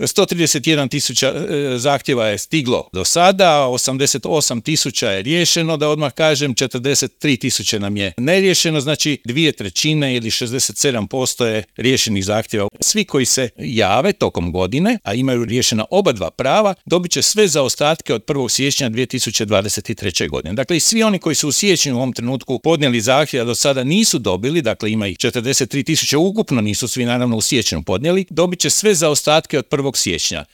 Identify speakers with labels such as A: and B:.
A: 131 tisuća zahtjeva je stiglo do sada, 88 tisuća je riješeno, da odmah kažem, 43 tisuće nam je neriješeno, znači 2/3 ili 67% je riješenih zahtjeva. Svi koji se jave tokom godine, a imaju riješena oba dva prava, dobit će sve zaostatke od 1. siječnja 2023. godine. Dakle, i svi oni koji su u siječnju u ovom trenutku podnijeli zahtjev, a do sada nisu dobili, dakle ima ih 43 tisuće ukupno, nisu svi naravno u siječnju podnijeli, dobit će sve zaostatke od 1. siječnja.